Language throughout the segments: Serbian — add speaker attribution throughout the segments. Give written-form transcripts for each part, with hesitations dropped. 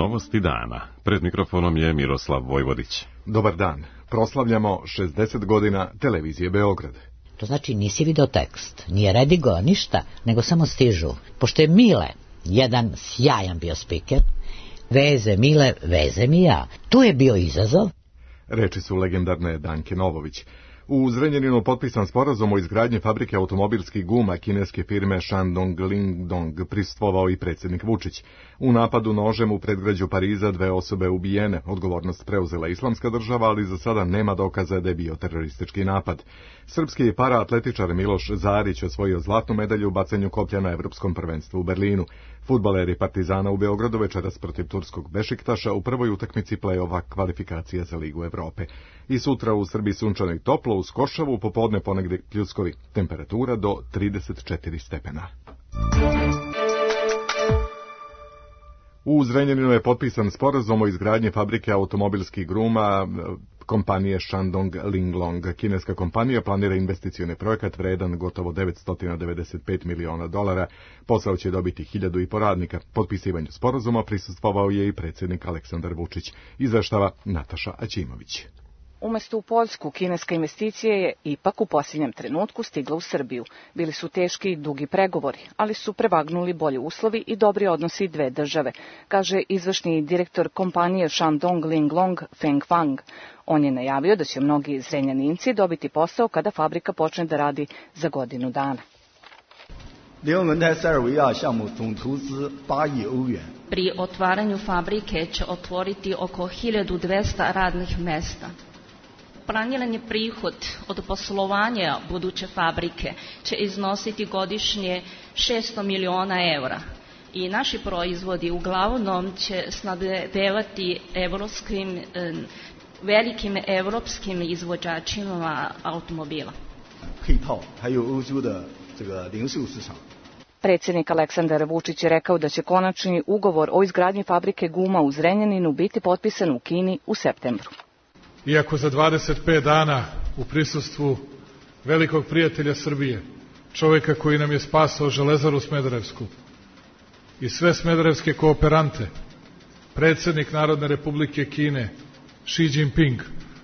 Speaker 1: Novosti dana. Pred mikrofonom je Miroslav Vojvodić.
Speaker 2: Dobar dan. Proslavljamo 60 godina televizije Beograd.
Speaker 3: To znači nisi video tekst, nije redigo, ništa, nego samo stižu. Pošto je Mile jedan sjajan bio spiker, veze Mile, veze mi ja. Tu je bio izazov.
Speaker 2: Reči su legendarne Danke Novović. U Zrenjaninu potpisan sporazum o izgradnji fabrike automobilskih guma kineske firme Shandong Lingdong, prisustvovao i predsjednik Vučić. U napadu nožem u predgrađu Pariza 2 osobe ubijene. Odgovornost preuzela Islamska država, ali za sada nema dokaza da je bio teroristički napad. Srpski paraatletičar Miloš Zarić osvojio zlatnu medalju u bacanju koplja na Evropskom prvenstvu u Berlinu. Fudbaleri Partizana u Beogradu večeras protiv turskog Bešiktaša u prvoj utakmici play-offa kvalifikacija za Ligu Evrope. I sutra u Srbiji sunčano i toplo, uz košavu, popodne ponegdje pljuskovi. Temperatura do 34 stepena. U Zrenjaninu je potpisan sporazum o izgradnji fabrike automobilskih guma kompanije Shandong Linglong. Kineska kompanija planira investicioni projekat vredan gotovo $995 miliona. Posao će dobiti 1.500 radnika. Potpisivanju sporazuma prisustvovao je i predsjednik Aleksandar Vučić. Izveštava Nataša Aćimović.
Speaker 4: Umesto u Poljsku, kineska investicija je ipak u posljednjem trenutku stigla u Srbiju. Bili su teški i dugi pregovori, ali su prevagnuli bolji uslovi i dobri odnosi dve države, kaže izvršni direktor kompanije Shandong Linglong Feng Fang. On je najavio da će mnogi Zrenjaninci dobiti posao kada fabrika počne da radi za godinu dana.
Speaker 5: Pri otvaranju fabrike će otvoriti oko 1200 radnih mesta. Planirani prihod od poslovanja buduće fabrike će iznositi godišnje 600 miliona eura i naši proizvodi uglavnom će snabdevati velikim evropskim izvođačima automobila.
Speaker 4: Predsjednik Aleksandar Vučić je rekao da će konačni ugovor o izgradnji fabrike guma u Zrenjaninu biti potpisan u Kini u septembru.
Speaker 6: Iako za 25 dana u prisustvu velikog prijatelja Srbije, čovjeka koji nam je spasao Železaru Smederevsku i sve smederevske kooperante, predsjednik Narodne Republike Kine Xi Jinping,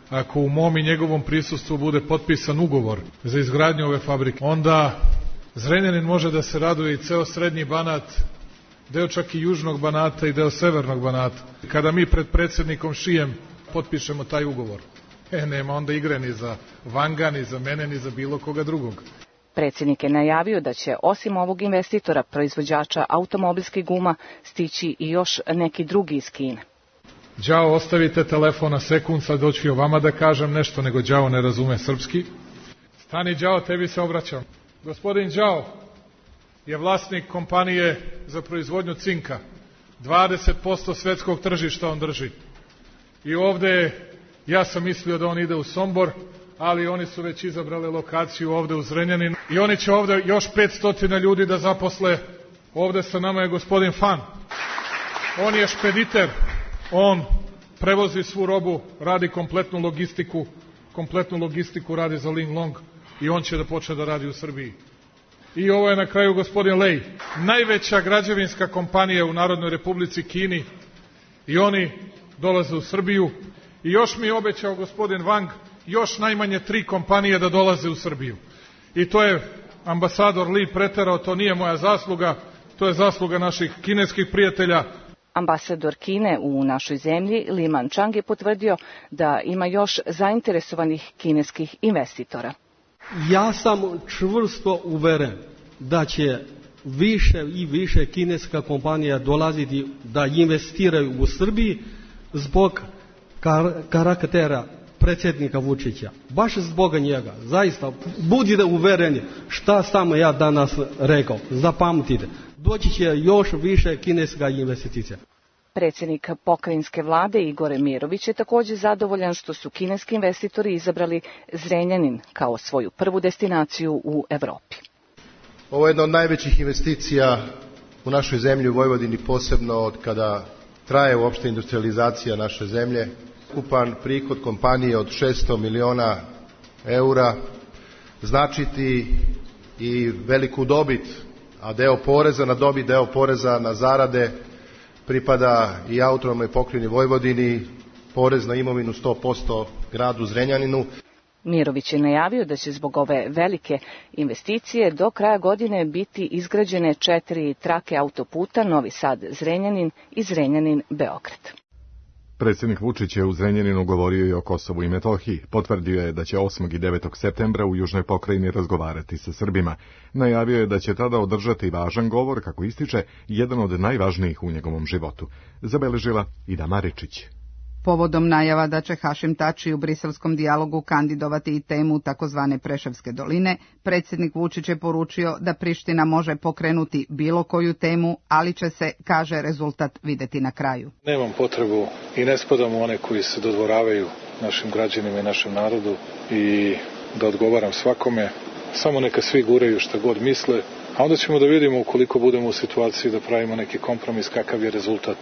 Speaker 6: ako u mom i njegovom prisustvu bude potpisan ugovor za izgradnju ove fabrike, onda Zrenjanin može da se raduje i ceo srednji Banat, deo čak i južnog Banata i deo severnog Banata. Kada mi pred predsjednikom Šijem potpišemo taj ugovor, nema onda igre ni za Vanga, ni za mene, ni za bilo koga drugog.
Speaker 4: Predsjednik je najavio da će osim ovog investitora, proizvođača automobilskih guma, stići i još neki drugi iz Kine.
Speaker 6: Đao, ostavite telefon na sekund, sad doću o vama da kažem nešto, nego Đao ne razume srpski. Stani Đao, tebi se obraćam. Gospodin Đao je vlasnik kompanije za proizvodnju cinka. 20% svetskog tržišta on drži. I ovde, ja sam mislio da on ide u Sombor, ali oni su već izabrali lokaciju ovde u Zrenjaninu. I oni će ovde još 500 ljudi da zaposle. Ovde sa nama je gospodin Fan. On je špediter. On prevozi svu robu, radi kompletnu logistiku radi za Linglong i on će da počne da radi u Srbiji. I ovo je na kraju gospodin Lej, najveća građevinska kompanija u Narodnoj Republici Kini, i oni dolaze u Srbiju. I još mi je obećao gospodin Wang još najmanje 3 kompanije da dolaze u Srbiju. I to je ambasador Li preterao, to nije moja zasluga, to je zasluga naših kineskih prijatelja.
Speaker 4: Ambasador Kine u našoj zemlji, Li Manchang, je potvrdio da ima još zainteresovanih kineskih investitora.
Speaker 7: Ja sam čvrsto uveren da će više i više kineska kompanija dolaziti da investiraju u Srbiji zbog karaktera predsjednika Vučića. Baš zbog njega. Zaista, budite uvereni šta sam ja danas rekao. Zapamtite. Doći će još više kineska investicija.
Speaker 4: Predsjednik pokrajinske vlade Igor Mirović je također zadovoljan što su kineski investitori izabrali Zrenjanin kao svoju prvu destinaciju u Evropi.
Speaker 8: Ovo je jedna od najvećih investicija u našoj zemlji, u Vojvodini, posebno od kada traje uopšte industrializacija naše zemlje. Ukupan prihod kompanije od 600 miliona eura značiti i veliku dobit, a deo poreza na dobit, deo poreza na zarade pripada i autonomnoj pokrajini Vojvodini, porez na imovinu 100% gradu Zrenjaninu.
Speaker 4: Mirović je najavio da će zbog ove velike investicije do kraja godine biti izgrađene 4 trake autoputa Novi Sad-Zrenjanin i Zrenjanin-Beograd.
Speaker 2: Predsjednik Vučić je u Zrenjaninu govorio i o Kosovu i Metohiji. Potvrdio je da će 8. i 9. septembra u južnoj pokrajini razgovarati sa Srbima. Najavio je da će tada održati važan govor, kako ističe, jedan od najvažnijih u njegovom životu. Zabeležila Ida Maričić.
Speaker 9: Povodom najava da će Hašim Tači u briselskom dijalogu kandidovati i temu takozvane Preševske doline, predsjednik Vučić je poručio da Priština može pokrenuti bilo koju temu, ali će se, kaže, rezultat videti na kraju.
Speaker 6: Nemam potrebu i ne spadam u one koji se dodvoravaju našim građanima i našem narodu i da odgovaram svakome. Samo neka svi guraju šta god misle, a onda ćemo da vidimo ukoliko budemo u situaciji da pravimo neki kompromis kakav je rezultat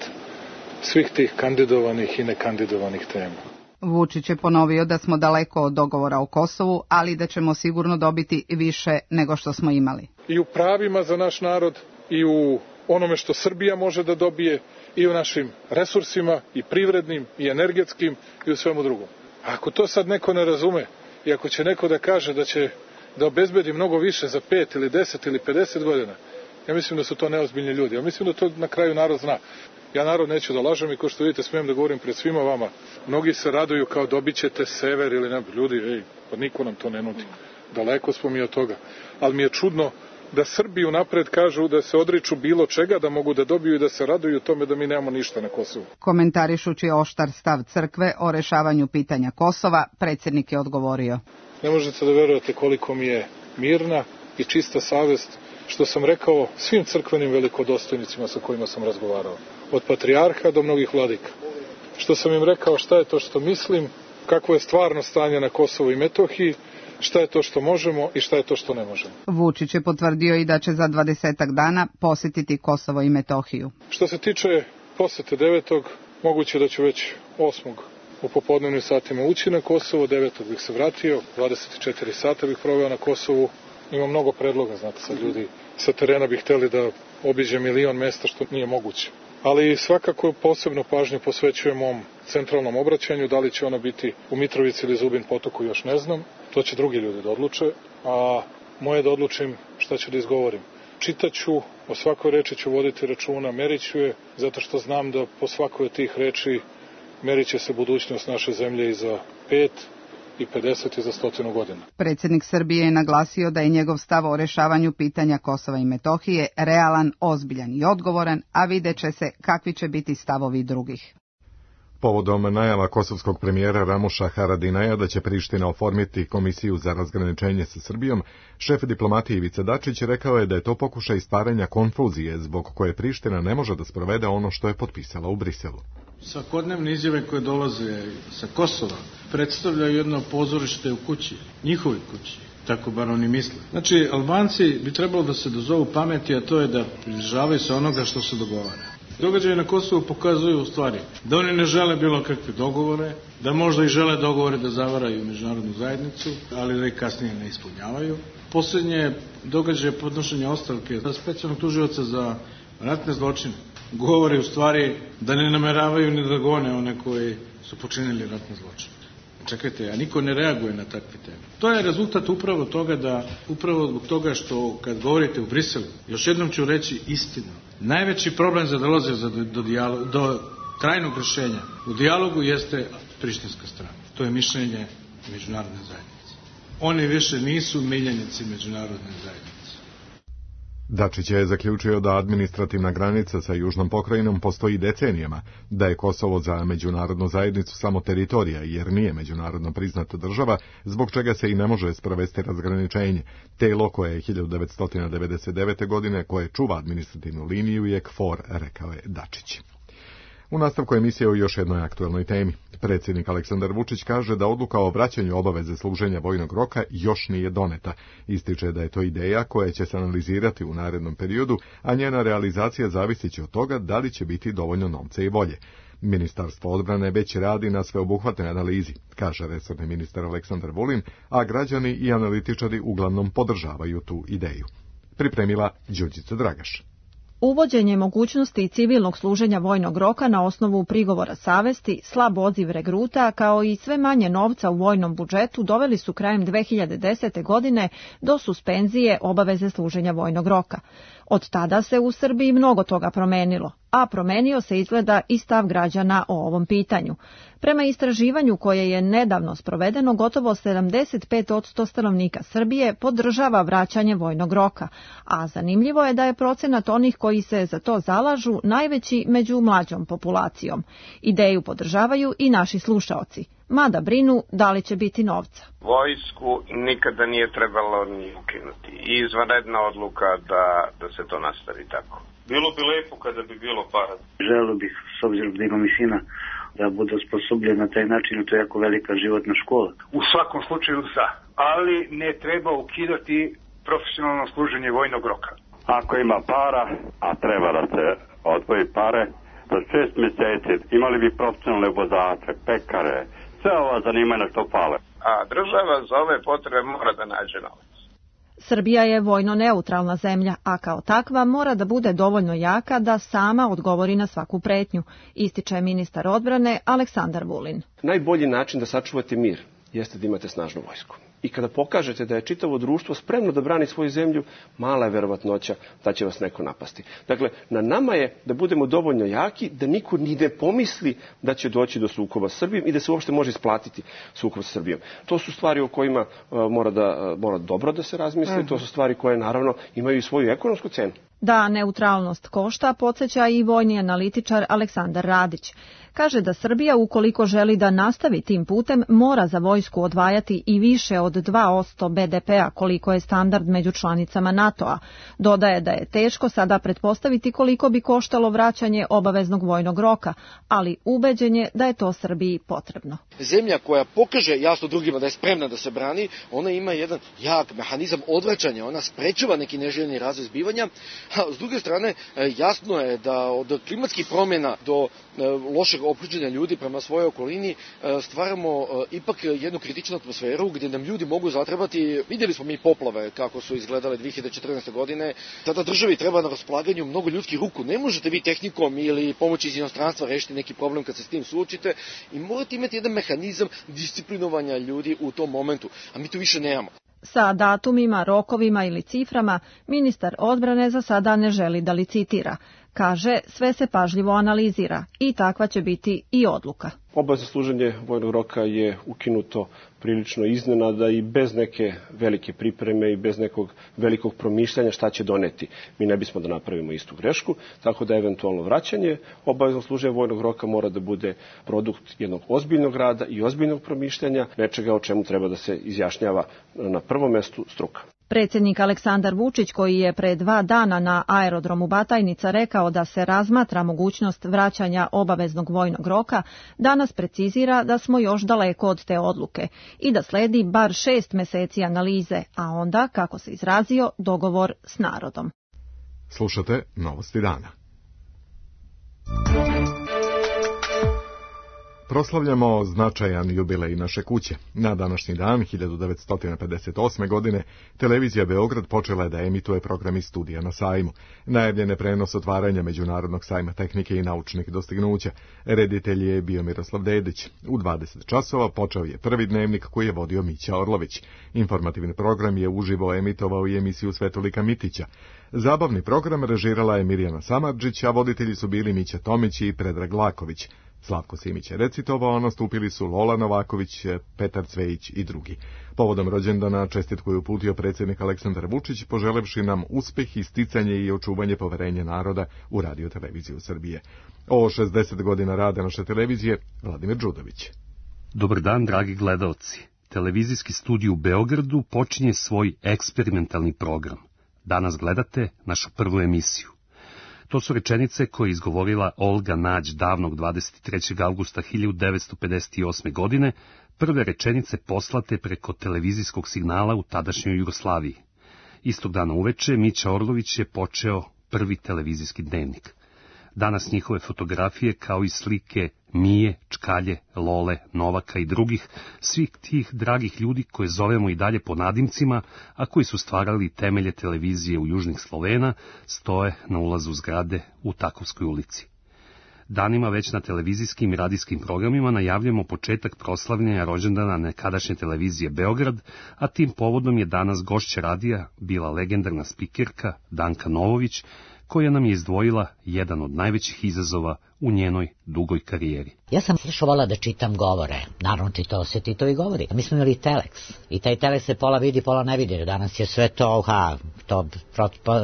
Speaker 6: svih tih kandidovanih i nekandidovanih tema.
Speaker 9: Vučić je ponovio da smo daleko od dogovora o Kosovu, ali da ćemo sigurno dobiti više nego što smo imali.
Speaker 6: I u pravima za naš narod, i u onome što Srbija može da dobije, i u našim resursima, i privrednim, i energetskim, i u svemu drugom. A ako to sad neko ne razume, i ako će neko da kaže da će da obezbedi mnogo više za 5 ili 10 ili 50 godina, ja mislim da su to neozbiljni ljudi. Ja mislim da to na kraju narod zna. Ja narod neću da lažem i ko što vidite smijem da govorim pred svima vama. Mnogi se raduju kao dobit ćete sever ili ne. Ljudi, pa niko nam to ne nudi. Daleko smo mi od toga. Ali mi je čudno da Srbi unapred kažu da se odriču bilo čega, da mogu da dobiju i da se raduju tome da mi nemamo ništa na Kosovu.
Speaker 9: Komentarišući oštar stav crkve o rešavanju pitanja Kosova, predsjednik je odgovorio.
Speaker 6: Ne možete da verujete koliko mi je mirna i čista savest što sam rekao svim crkvenim velikodostojnicima sa kojima sam razgovarao. Od patrijarha do mnogih vladika. Što sam im rekao šta je to što mislim, kakvo je stvarno stanje na Kosovu i Metohiji, šta je to što možemo i šta je to što ne možemo.
Speaker 9: Vučić je potvrdio i da će za 20 dana posjetiti Kosovo i Metohiju.
Speaker 6: Što se tiče posete 9. moguće da ću već 8. u popodnevnim satima ući na Kosovo, 9. bih se vratio, 24 sata bih proveo na Kosovu. Ima mnogo predloga, znate, sad ljudi sa terena bi hteli da obiđe 1.000.000 mesta, što nije moguće. Ali svakako posebno pažnju posvećujem mom centralnom obraćanju, da li će ono biti u Mitrovici ili Zubin Potoku, još ne znam. To će drugi ljudi da odluče, a moje da odlučim šta ću da izgovorim. Čitaću, o svakoj reči ću voditi računa, merit ću je, zato što znam da po svakoj od tih reči merit će se budućnost naše zemlje i za 5 i 50 i za 100 godina.
Speaker 9: Predsjednik Srbije je naglasio da je njegov stav o rešavanju pitanja Kosova i Metohije realan, ozbiljan i odgovoran, a vidjet će se kakvi će biti stavovi drugih.
Speaker 2: Povodom najava kosovskog premijera Ramuša Haradinaja da će Priština oformiti komisiju za razgraničenje sa Srbijom, šef diplomatije Ivica Dačić rekao je da je to pokušaj stvaranja konfuzije zbog koje Priština ne može da sprovede ono što je potpisala u Briselu.
Speaker 10: Svakodnevne izjave koje dolaze sa Kosova predstavljaju jedno pozorište u kući, njihovoj kući, tako bar oni misle. Znači, Albanci bi trebalo da se dozovu pameti, a to je da pridržavaju se onoga što se dogovara. Događaje na Kosovu pokazuju u stvari da oni ne žele bilo kakve dogovore, da možda i žele dogovore da zavaraju međunarodnu zajednicu, ali da ih kasnije ne ispunjavaju. Posljednje događaje podnošenja ostavke za specijalnog tužioca za ratne zločine govori u stvari da ne nameravaju ni da gone one koji su počinili ratne zločine. Čekajte, a niko ne reaguje na takve teme. To je rezultat upravo zbog toga što kad govorite u Briselu, još jednom ću reći istinu. Najveći problem za dolaze do trajnog rješenja u dijalogu jeste prištinska strana. To je mišljenje međunarodne zajednice. Oni više nisu miljenici međunarodne zajednice.
Speaker 2: Dačić je zaključio da administrativna granica sa južnom pokrajinom postoji decenijama, da je Kosovo za međunarodnu zajednicu samo teritorija, jer nije međunarodno priznata država, zbog čega se i ne može sprovesti razgraničenje. Telo koje je 1999. godine, koje čuva administrativnu liniju, je KFOR, rekao je Dačić. U nastavku emisije o još jednoj aktuelnoj temi. Predsjednik Aleksandar Vučić kaže da odluka o vraćanju obaveze služenja vojnog roka još nije doneta. Ističe da je to ideja koja će se analizirati u narednom periodu, a njena realizacija zavisit će od toga da li će biti dovoljno novca i volje. Ministarstvo odbrane već radi na sveobuhvatnoj analizi, kaže resorni ministar Aleksandar Vulin, a građani i analitičari uglavnom podržavaju tu ideju. Pripremila Đurđica Dragaš.
Speaker 11: Uvođenje mogućnosti civilnog služenja vojnog roka na osnovu prigovora savesti, slab odziv regruta, kao i sve manje novca u vojnom budžetu doveli su krajem 2010. godine do suspenzije obaveze služenja vojnog roka. Od tada se u Srbiji mnogo toga promenilo, a promenio se izgleda i stav građana o ovom pitanju. Prema istraživanju koje je nedavno sprovedeno, gotovo 75% stanovnika Srbije podržava vraćanje vojnog roka, a zanimljivo je da je procenat onih koji se za to zalažu najveći među mlađom populacijom. Ideju podržavaju i naši slušaoci, mada brinu da li će biti novca.
Speaker 12: Vojsku nikada nije trebalo ni ukinuti. Izvanredna odluka da se to nastavi tako. Bilo bi lepo kada bi bilo para.
Speaker 13: Želeo bih, s obzirom da imam i sina, da bude osposobljen na taj način, to je jako velika životna škola.
Speaker 14: U svakom slučaju za, ali ne treba ukidati profesionalno služenje vojnog roka.
Speaker 15: Ako ima para, a treba da se odvoji pare, za 6 mjeseci imali bi profesionalne vozače, pekare, sve ova zanimanja što fale.
Speaker 12: A država za ove potrebe mora da nađe novac.
Speaker 11: Srbija je vojno neutralna zemlja, a kao takva mora da bude dovoljno jaka da sama odgovori na svaku pretnju, ističe ministar odbrane Aleksandar Vulin.
Speaker 16: Najbolji način da sačuvate mir jeste da imate snažnu vojsku. I kada pokažete da je čitavo društvo spremno da brani svoju zemlju, mala je verovatnoća da će vas neko napasti. Dakle, na nama je da budemo dovoljno jaki da niko ni ne pomisli da će doći do sukoba s Srbijom i da se uopšte može isplatiti sukob s Srbijom. To su stvari o kojima mora dobro da se razmisli, to su stvari koje naravno imaju i svoju ekonomsku cenu.
Speaker 11: Da neutralnost košta, podsjeća i vojni analitičar Aleksandar Radić. Kaže da Srbija, ukoliko želi da nastavi tim putem, mora za vojsku odvajati i više od 2% BDP-a, koliko je standard među članicama NATO-a. Dodaje da je teško sada pretpostaviti koliko bi koštalo vraćanje obaveznog vojnog roka, ali ubeđen je da je to Srbiji potrebno.
Speaker 17: Zemlja koja pokaže jasno drugima da je spremna da se brani, ona ima jedan jak mehanizam odvraćanja, ona sprečava neki neželjeni razvoj zbivanja. A s druge strane, jasno je da od klimatskih promjena do lošeg ophođenja ljudi prema svojoj okolini stvaramo ipak jednu kritičnu atmosferu gdje nam ljudi mogu zatrebati. Vidjeli smo mi poplave kako su izgledale 2014. godine. Tada državi treba na raspolaganju mnogo ljudskih ruku. Ne možete vi tehnikom ili pomoći iz inostranstva rešiti neki problem kad se s tim suočite i morate imati jedan mehanizam disciplinovanja ljudi u tom momentu, a mi to više nemamo.
Speaker 11: Sa datumima, rokovima ili ciframa ministar odbrane za sada ne želi da licitira. Kaže, sve se pažljivo analizira i takva će biti i odluka.
Speaker 16: Obavezno služenje vojnog roka je ukinuto prilično iznenada i bez neke velike pripreme i bez nekog velikog promišljanja šta će doneti. Mi ne bismo da napravimo istu grešku, tako da eventualno vraćanje obavezno služenja vojnog roka mora da bude produkt jednog ozbiljnog rada i ozbiljnog promišljanja, nečega o čemu treba da se izjašnjava na prvom mestu struka.
Speaker 11: Predsjednik Aleksandar Vučić, koji je pre 2 dana na aerodromu Batajnica rekao da se razmatra mogućnost vraćanja obaveznog vojnog roka, danas precizira da smo još daleko od te odluke i da sledi bar 6 meseci analize, a onda, kako se izrazio, dogovor s narodom.
Speaker 2: Slušate Novosti dana. Proslavljamo značajan jubilej naše kuće. Na današnji dan, 1958. godine, televizija Beograd počela je da emituje program iz studija na sajmu. Najavljen je prenos otvaranja Međunarodnog sajma tehnike i naučnih dostignuća. Reditelj je bio Miroslav Dedić. U 20 časova počeo je prvi dnevnik koji je vodio Mića Orlović. Informativni program je uživo emitovao i emisiju Svetolika Mitića. Zabavni program režirala je Mirjana Samardžić, a voditelji su bili Mića Tomić i Predrag Laković. Slavko Simić je recitovao, nastupili su Lola Novaković, Petar Cvejić i drugi. Povodom rođendana čestitku je uputio predsjednik Aleksandar Vučić, poželevši nam uspeh, isticanje i očuvanje poverenja naroda u Radio-televiziju Srbije. O 60 godina rada naše televizije, Vladimir Đudović.
Speaker 18: Dobar dan, dragi gledaoci. Televizijski studij u Beogradu počinje svoj eksperimentalni program. Danas gledate našu prvu emisiju. To su rečenice koje je izgovorila Olga Nađ davnog 23. augusta 1958. godine, prve rečenice poslate preko televizijskog signala u tadašnjoj Jugoslaviji. Istog dana uveče Mića Orlović je počeo prvi televizijski dnevnik. Danas njihove fotografije, kao i slike Mije, Čkalje, Lole, Novaka i drugih, svih tih dragih ljudi koje zovemo i dalje po nadimcima, a koji su stvarali temelje televizije u južnih Slovena, stoje na ulazu zgrade u Takovskoj ulici. Danima već na televizijskim i radijskim programima najavljamo početak proslavljanja rođendana nekadašnje televizije Beograd, a tim povodom je danas gošća radija bila legendarna spikerka Danka Novović, koja nam je izdvojila jedan od najvećih izazova u njenoj dugoj karijeri.
Speaker 3: Ja sam slušala da čitam govore, naravno čitao se Titovi govori. Mi smo imali teleks i taj teleks se pola vidi, pola ne vidi. Danas je sve to,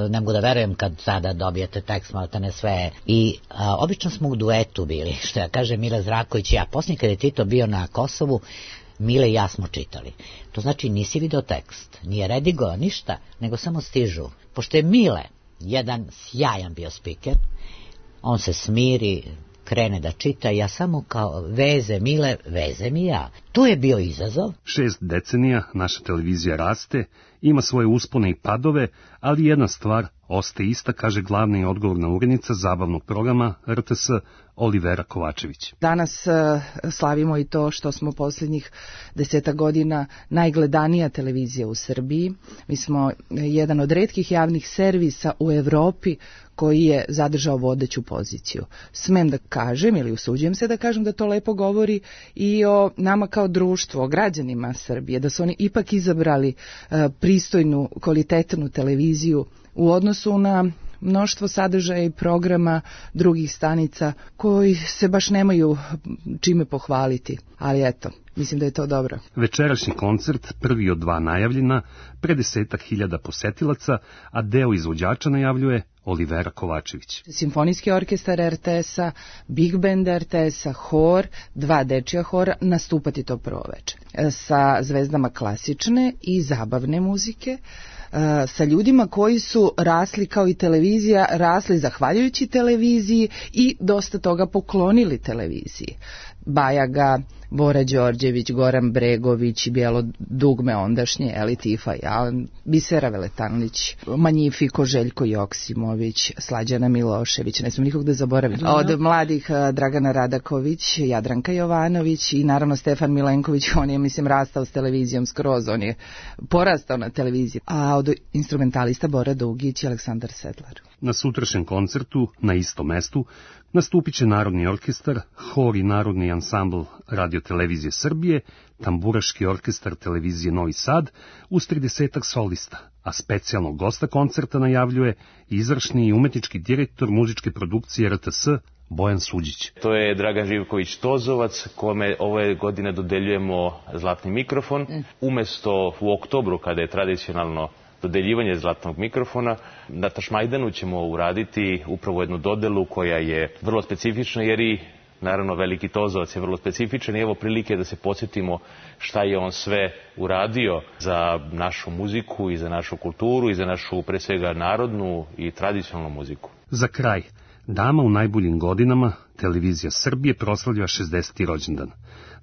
Speaker 3: ne mogu da verujem kad sada dobijete tekst, malta ne sve. I obično smo u duetu bili, što ja kažem Mile Zraković i ja. Poslije kad je Tito bio na Kosovu, Mile i ja smo čitali. To znači nisi video tekst, nije redigovao ništa, nego samo stižu. Pošto je Mile jedan sjajan bio spiker, on se smiri, krene da čita, ja samo kao veze Mile, veze mi ja. Tu je bio izazov.
Speaker 18: 6 decenija naša televizija raste, ima svoje uspone i padove, ali jedna stvar ostaje ista, kaže glavna i odgovorna urednica zabavnog programa RTS Olivera Kovačević.
Speaker 19: Danas slavimo i to što smo posljednjih 10 godina najgledanija televizija u Srbiji. Mi smo jedan od retkih javnih servisa u Evropi koji je zadržao vodeću poziciju. Smem da kažem, ili usuđujem se da kažem, da to lepo govori i o nama kao društvu, o građanima Srbije, da su oni ipak izabrali pristojnu, kvalitetnu televiziju u odnosu na mnoštvo sadržaja i programa drugih stanica koji se baš nemaju čime pohvaliti. Ali eto, mislim da je to dobro.
Speaker 18: Večerašnji koncert, prvi od 2 najavljena, pred 10.000 posetilaca, a deo izvođača najavljuje Olivera Kovačević.
Speaker 19: Simfonijski orkestar RTS-a, Big Band RTS-a, hor, 2 dečija hora nastupati to prvo večer. Sa zvezdama klasične i zabavne muzike, sa ljudima koji su rasli kao i televizija, rasli zahvaljujući televiziji i dosta toga poklonili televiziji. Bajaga, Bora Đorđević, Goran Bregović, Bijelo dugme ondašnje, Eli Tifa, Bisera Veletanlić, Manjifiko, Željko Joksimović, Slađana Milošević, ne smijem nikog da zaboravim. Od mladih Dragana Radaković, Jadranka Jovanović i naravno Stefan Milenković, on je, mislim, rastao s televizijom skroz, on je porastao na televiziji. A od instrumentalista Bora Dugić i Aleksandar Sedlar.
Speaker 18: Na sutrašnjem koncertu, na istom mestu, nastupit će Narodni orkestar, hor i Narodni ansambl Radio-televizije Srbije, Tamburaški orkestar televizije Novi Sad, uz 30 solista, a specijalnog gosta koncerta najavljuje izvršni i umetnički direktor muzičke produkcije RTS Bojan Suđić.
Speaker 20: To je Dragan Živković-Tozovac, kome ove godine dodeljujemo zlatni mikrofon. Umesto u oktobru, kada je tradicionalno dodeljivanje zlatnog mikrofona, na Tašmajdanu ćemo uraditi upravo jednu dodelu koja je vrlo specifična, jer i naravno veliki Tozovac je vrlo specifičan i evo prilike da se podsjetimo šta je on sve uradio za našu muziku i za našu kulturu i za našu, pre svega, narodnu i tradicionalnu muziku.
Speaker 18: Za kraj, dama u najboljim godinama, televizija Srbije proslavlja 60. rođendan.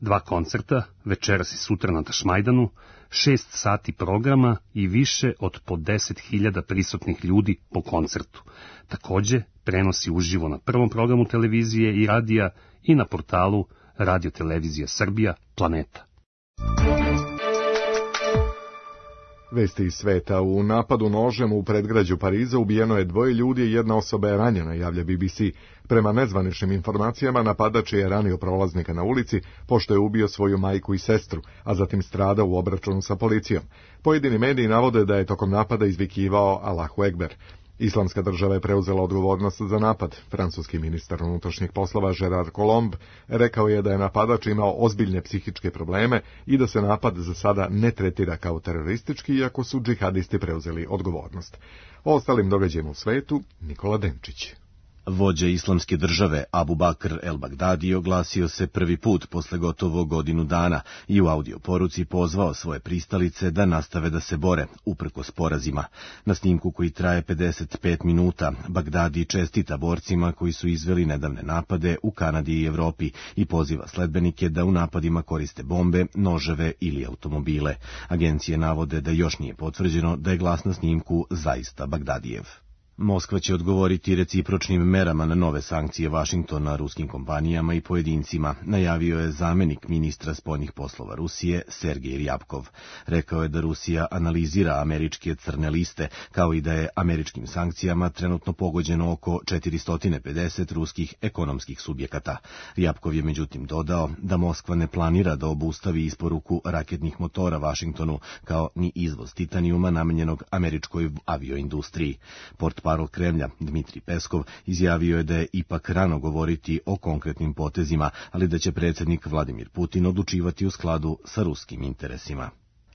Speaker 18: 2 koncerta, večeras i sutra na Tašmajdanu, 6 sati programa i više od po 10.000 prisutnih ljudi po koncertu. Takođe, prenosi uživo na prvom programu televizije i radija i na portalu Radio-televizija Srbija Planeta.
Speaker 2: Vesti iz sveta. U napadu nožem u predgrađu Pariza ubijeno je 2 ljudi i 1 osoba je ranjena, javlja BBC. Prema nezvaničnim informacijama, napadač je ranio prolaznika na ulici, pošto je ubio svoju majku i sestru, a zatim stradao u obračunu sa policijom. Pojedini mediji navode da je tokom napada izvikivao Allahu Ekber. Islamska država je preuzela odgovornost za napad. Francuski ministar unutrašnjih poslova Gerard Colomb rekao je da je napadač imao ozbiljne psihičke probleme i da se napad za sada ne tretira kao teroristički, iako su džihadisti preuzeli odgovornost. O ostalim događajima u svetu, Nikola Denčić.
Speaker 21: Vođa Islamske države Abu Bakr el-Bagdadi oglasio se prvi put posle gotovo godinu dana i u audio poruci pozvao svoje pristalice da nastave da se bore, uprkos porazima. Na snimku koji traje 55 minuta, Bagdadi čestita borcima koji su izveli nedavne napade u Kanadi i Evropi i poziva sledbenike da u napadima koriste bombe, noževe ili automobile. Agencije navode da još nije potvrđeno da je glas na snimku zaista Bagdadijev. Moskva će odgovoriti recipročnim merama na nove sankcije Vašingtona ruskim kompanijama i pojedincima, najavio je zamenik ministra spoljnih poslova Rusije Sergej Ryabkov. Rekao je da Rusija analizira američke crne liste, kao i da je američkim sankcijama trenutno pogođeno oko 450 ruskih ekonomskih subjekata. Ryabkov je međutim dodao da Moskva ne planira da obustavi isporuku raketnih motora Vašingtonu, kao ni izvoz titanijuma namenjenog američkoj avioindustriji. Portparol Kremlja Dmitri Peskov izjavio je da je ipak rano govoriti o konkretnim potezima, ali da će predsjednik Vladimir Putin odlučivati u skladu sa ruskim interesima.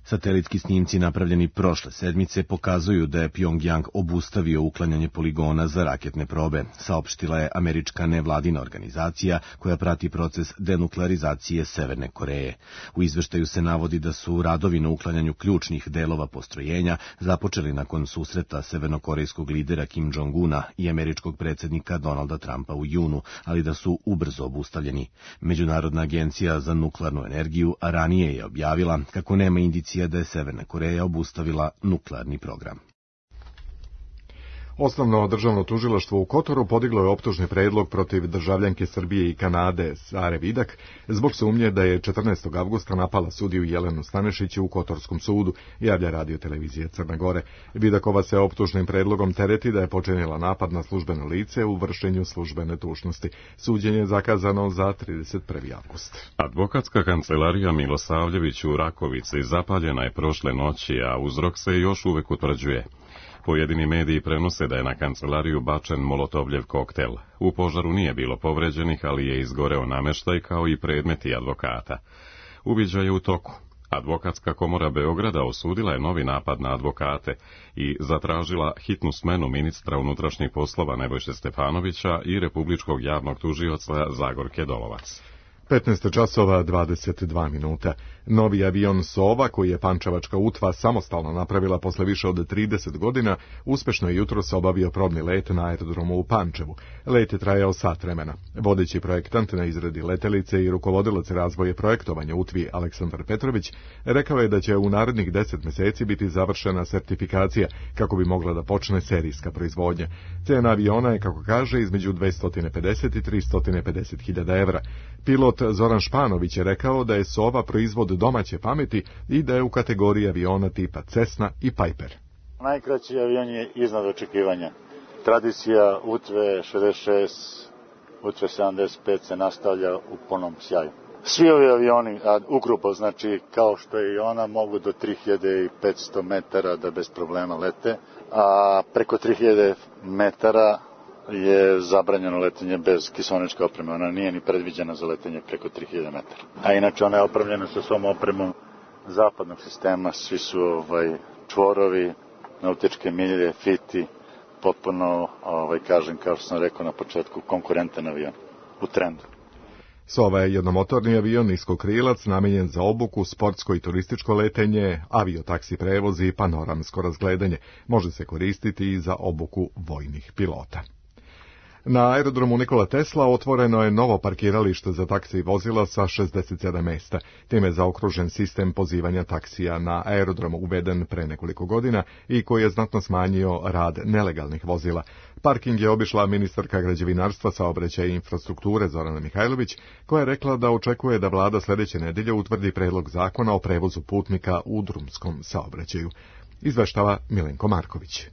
Speaker 21: Satelitski snimci napravljeni prošle sedmice pokazuju da je Pjongjang obustavio uklanjanje poligona za raketne probe, saopštila je američka nevladina organizacija koja prati proces denuklearizacije Severne Koreje. U izveštaju se navodi da su radovi na uklanjanju ključnih delova postrojenja započeli nakon susreta severnokorejskog lidera Kim Jong-una i američkog predsjednika Donalda Trumpa u junu, ali da su ubrzo obustavljeni. Međunarodna agencija za nuklearnu energiju ranije je objavila kako nema indicija da je Severna Koreja obustavila nuklearni program.
Speaker 2: Osnovno državno tužilaštvo u Kotoru podiglo je optužni predlog protiv državljanke Srbije i Kanade Sare Vidak zbog sumnje da je 14. avgusta napala sudiju Jelenu Stanešić u Kotorskom sudu, javlja radio televizija Crne Gore. Vidakova se optužnim predlogom tereti da je počinila napad na službeno lice u vršenju službene dužnosti. Suđenje je zakazano za 31. avgust.
Speaker 1: Advokatska kancelarija Milosavljević u Rakovici zapaljena je prošle noći, a uzrok se još uvek utvrđuje. Pojedini mediji prenose da je na kancelariju bačen molotovljev koktel. U požaru nije bilo povređenih, ali je izgoreo nameštaj kao i predmeti advokata. Uviđaj je u toku. Advokatska komora Beograda osudila je novi napad na advokate i zatražila hitnu smenu ministra unutrašnjih poslova Nebojše Stefanovića i republičkog javnog tužioca Zagorke Dolovac.
Speaker 2: 15 časova 22 minuta. Novi avion Sova, koji je Pančevačka UTVA samostalno napravila posle više od 30 godina, uspešno je jutros obavio probni let na aerodromu u Pančevu. Let je trajao sat vremena. Vodeći projektant na izradi letelice i rukovodilac razvoja projektovanja UTVI Aleksandar Petrović rekao je da će u narednih 10 meseci biti završena sertifikacija kako bi mogla da počne serijska proizvodnja. Cena aviona je, kako kaže, između 250 i 350 hiljada evra. Pilot Zoran Španović je rekao da je Sova proizvod domaće pameti i da je u kategoriji aviona tipa Cessna i Piper.
Speaker 22: Najkraći avion je iznad očekivanja. Tradicija UTVE 66, UTVE 75 se nastavlja u punom sjaju. Svi ovi avioni, ukrupo, znači kao što je i ona, mogu do 3500 metara da bez problema lete, a preko 3000 metara je zabranjeno letenje bez kiseoničke opreme. Ona nije ni predviđena za letenje preko 3000 metara. A inače ona je opremljena sa svom opremom zapadnog sistema. Svi su čvorovi, nautičke milje, fiti, potpuno, kažem, kao što sam rekao na početku, konkurentan avion u trendu.
Speaker 2: Sova je jednomotorni avion niskokrilac namenjen za obuku, sportsko i turističko letenje, aviotaksi prevoz i panoramsko razgledanje. Može se koristiti i za obuku vojnih pilota. Na aerodromu Nikola Tesla otvoreno je novo parkiralište za taksi vozila sa 67 mesta. Time je zaokružen sistem pozivanja taksija na aerodromu uveden pre nekoliko godina i koji je znatno smanjio rad nelegalnih vozila. Parking je obišla ministarka građevinarstva, saobraćaja i infrastrukture Zorana Mihajlović, koja je rekla da očekuje da vlada sljedeće nedelje utvrdi predlog zakona o prevozu putnika u drumskom saobraćaju. Izveštava Milenko Marković.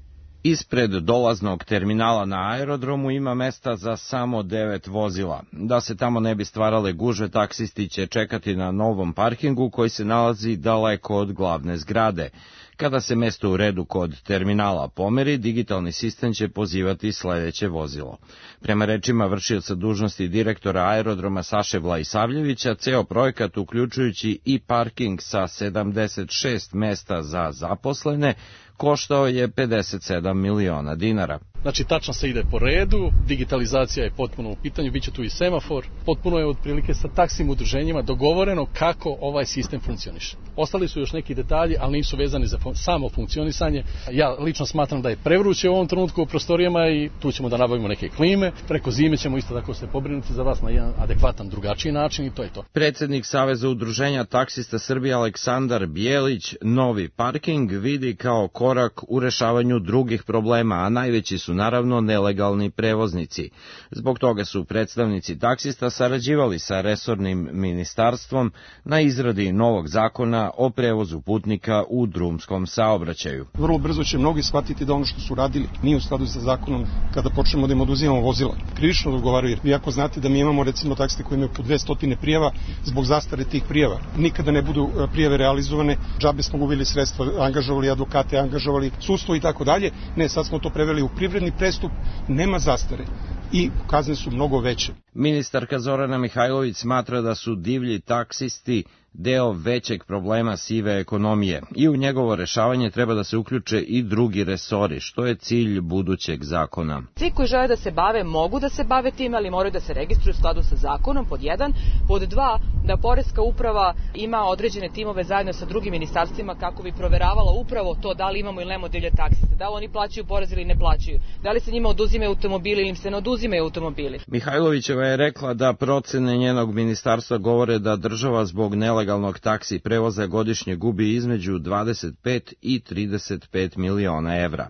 Speaker 23: Ispred dolaznog terminala na aerodromu ima mesta za samo 9 vozila. Da se tamo ne bi stvarale gužve, taksisti će čekati na novom parkingu koji se nalazi daleko od glavne zgrade. Kada se mesto u redu kod terminala pomeri, digitalni sistem će pozivati sljedeće vozilo. Prema rečima vršioca dužnosti direktora aerodroma Saše Vlaisavljevića, ceo projekat, uključujući i parking sa 76 mesta za zaposlene, koštao je 57 miliona dinara.
Speaker 24: Znači, tačno se ide po redu, digitalizacija je potpuno u pitanju, bit će tu i semafor, potpuno je otprilike sa taksim udruženjima dogovoreno kako ovaj sistem funkcioniše. Ostali su još neki detalji, ali nisu vezani za samo funkcionisanje. Ja lično smatram da je prevruće u ovom trenutku u prostorijama i tu ćemo da nabavimo neke klime. Preko zime ćemo isto tako se pobrinuti za vas na jedan adekvatan, drugačiji način i to je to.
Speaker 23: Predsjednik Saveza udruženja taksista Srbije Aleksandar Bijelić novi parking vidi kao korak u rešavanju drugih problema, a najveći su su naravno nelegalni prevoznici. Zbog toga su predstavnici taksista sarađivali sa resornim ministarstvom na izradi novog zakona o prevozu putnika u drumskom saobraćaju.
Speaker 4: Vrlo brzo će mnogi shvatiti da ono što su radili nije u skladu sa zakonom kada počnemo da im oduzimamo vozila. Krivično da odgovaraju. Vi ako znate da mi imamo recimo taksiste koji imaju po 200 prijava zbog zastare tih prijava. Nikada ne budu prijave realizovane, džabe smo gubili sredstva, angažovali advokate, angažovali sudstvo i tako dalje. Ne, sad smo to preveli u privredni prestup, nema zastare i kazne su mnogo veće.
Speaker 23: Ministarka Zorana Mihajlović smatra da su divlji taksisti deo većeg problema sive ekonomije i u njegovo rešavanje treba da se uključe i drugi resori, što je cilj budućeg zakona.
Speaker 5: Svi koji žele da se bave mogu da se bave tim, ali moraju da se registruju u skladu sa zakonom, pod 1. Pod 2, da Poreska uprava ima određene timove zajedno sa drugim ministarstvima kako bi proveravala upravo to da li imamo ili nemamo divlje taksiste, da li oni plaćaju porez ili ne plaćaju, da li se njima oduzimaju automobili ili im se ne oduzimaju automobili.
Speaker 23: Mihajlovićeva je rekla da procene njenog ministarstva govore da država zbog nelegalnog taksi prevoza godišnje gubi između 25 i 35 miliona evra.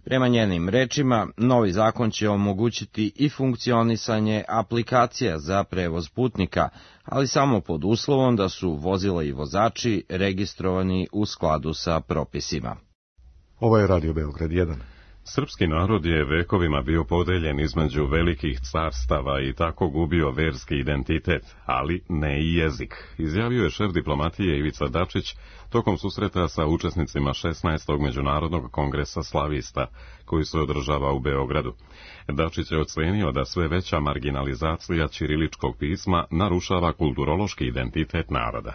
Speaker 23: Prema njenim rečima, novi zakon će omogućiti i funkcionisanje aplikacija za prevoz putnika, ali samo pod uslovom da su vozila i vozači registrovani u skladu sa propisima.
Speaker 2: Ovo je Radio Beograd 1.
Speaker 1: Srpski narod je vekovima bio podeljen između velikih carstava i tako gubio verski identitet, ali ne i jezik, izjavio je šef diplomatije Ivica Dačić tokom susreta sa učesnicima 16. Međunarodnog kongresa slavista, koji se održava u Beogradu. Dačić je ocenio da sve veća marginalizacija ćiriličkog pisma narušava kulturološki identitet naroda.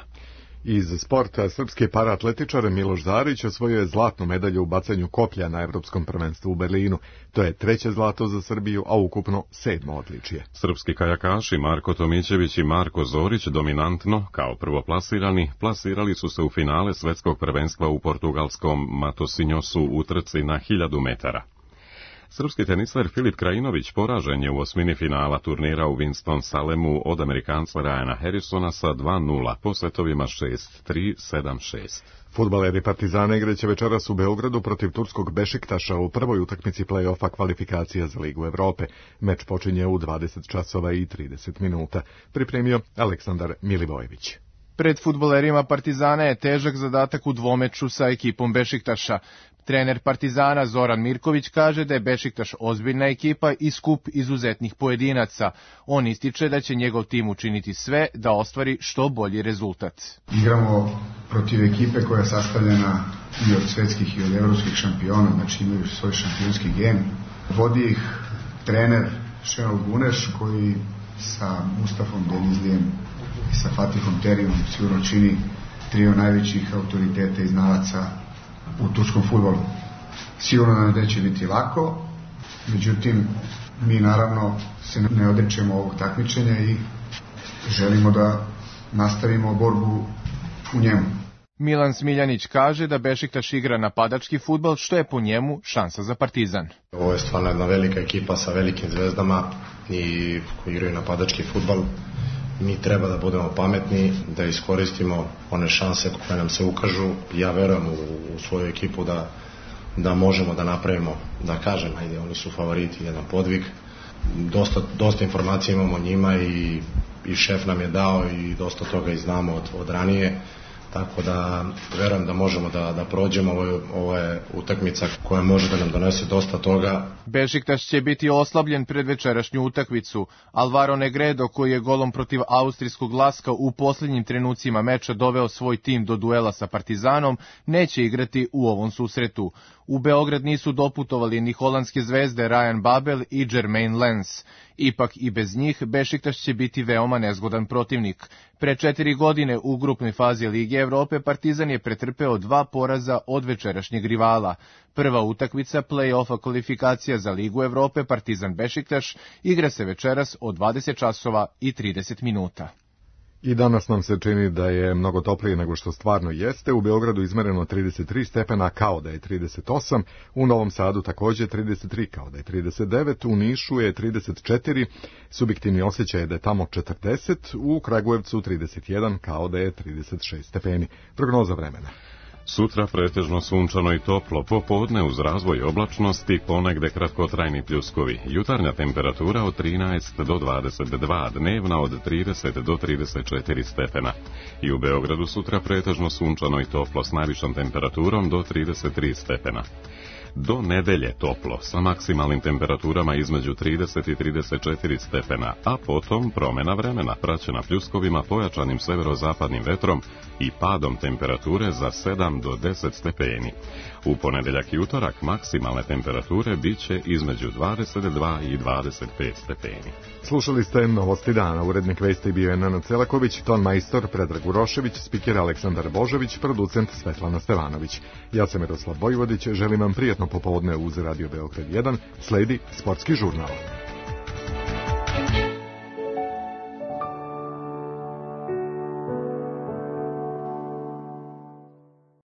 Speaker 2: Iz sporta srpski paraatletičar Miloš Zarić osvojio je zlatnu medalju u bacanju koplja na Evropskom prvenstvu u Berlinu. To je 3. zlato za Srbiju, a ukupno 7. odličje.
Speaker 1: Srpski kajakaši Marko Tomićević i Marko Zorić dominantno, kao prvoplasirani, plasirali su se u finale svetskog prvenstva u portugalskom Matosinjosu u trci na 1000 metara. Srpski teniser Filip Krajinović poražen je u osmini finala turnira u Winston-Salemu od Amerikanca Ryana Harrisona sa 2:0 po setovima 6-3, 7-6.
Speaker 2: Fudbaleri Partizana igraće večeras u Beogradu protiv turskog Bešiktaša u prvoj utakmici play-offa kvalifikacija za Ligu Evrope. Meč počinje u 20 časova i 30 minuta. Pripremio Aleksandar Milivojević.
Speaker 7: Pred fudbalerima Partizana je težak zadatak u dvomeču sa ekipom Bešiktaša. Trener Partizana Zoran Mirković kaže da je Bešiktaš ozbiljna ekipa i skup izuzetnih pojedinaca. On ističe da će njegov tim učiniti sve da ostvari što bolji rezultat.
Speaker 8: Igramo protiv ekipe koja je sastavljena i od svetskih i od evropskih šampiona, znači imaju svoj šampionski gen. Vodi ih trener Šenol Guneš koji sa Mustafom Denizlijem i sa Fatihom Terijom sigurno čini trio najvećih autoriteta i znalaca u turskom fudbalu. Sigurno nam neće biti lako, međutim, mi naravno se ne odričemo ovog takmičenja i želimo da nastavimo borbu u njemu.
Speaker 7: Milan Smiljanić kaže da Bešiktaš igra napadački fudbal, što je po njemu šansa za Partizan.
Speaker 25: Ovo je stvarno jedna velika ekipa sa velikim zvezdama i koji igraju napadački fudbal. Mi treba da budemo pametni, da iskoristimo one šanse koje nam se ukažu. Ja verujem u svoju ekipu da možemo da napravimo, da kažem, ajde, oni su favoriti, jedan podvig. Dosta informacija imamo o njima i šef nam je dao i dosta toga i znamo od ranije. Tako da verujem da možemo da prođemo. Ovo je utakmica koja može da nam donese dosta toga.
Speaker 7: Bešiktaš će biti oslabljen pred večerašnju utakmicu. Alvaro Negredo, koji je golom protiv austrijskog Laska u posljednjim trenucima meča doveo svoj tim do duela sa Partizanom, neće igrati u ovom susretu. U Beograd nisu doputovali ni holandske zvezde Ryan Babel i Jermaine Lens. Ipak i bez njih Bešiktaš će biti veoma nezgodan protivnik. Pre 4 godine u grupnoj fazi Lige Evrope Partizan je pretrpeo 2 poraza od večerašnjeg rivala. Prva utakmica play-offa kvalifikacija za Ligu Evrope Partizan Bešiktaš igra se večeras od 20 časova i 30 minuta.
Speaker 2: I danas nam se čini da je mnogo toplije nego što stvarno jeste. U Beogradu izmereno 33 stepena kao da je 38, u Novom Sadu također 33 kao da je 39, u Nišu je 34, subjektivni osjećaj je da je tamo 40, u Kragujevcu 31 kao da je 36 stepeni. Prognoza vremena.
Speaker 1: Sutra pretežno sunčano i toplo, popodne uz razvoj oblačnosti, ponegde kratkotrajni pljuskovi. Jutarnja temperatura od 13 do 22, dnevna od 30 do 34 stepena. I u Beogradu sutra pretežno sunčano i toplo s najvišom temperaturom do 33 stepena. Do nedelje toplo, sa maksimalnim temperaturama između 30 i 34 stepena, a potom promena vremena praćena pljuskovima, pojačanim severozapadnim vetrom i padom temperature za 7 do 10 stepeni. U ponedeljak i utorak maksimalne temperature biće između 22 i 25 stepeni.
Speaker 2: Slušali ste Novosti dana, urednik vesti bio je Nenad Celaković, ton majstor Predrag Urošević, spiker Aleksandar Božović, producent Svetlana Stevanović. Ja sam Miroslav Bojvodić, želim vam prijatno popodne uz Radio Beograd 1, sledi Sportski žurnal.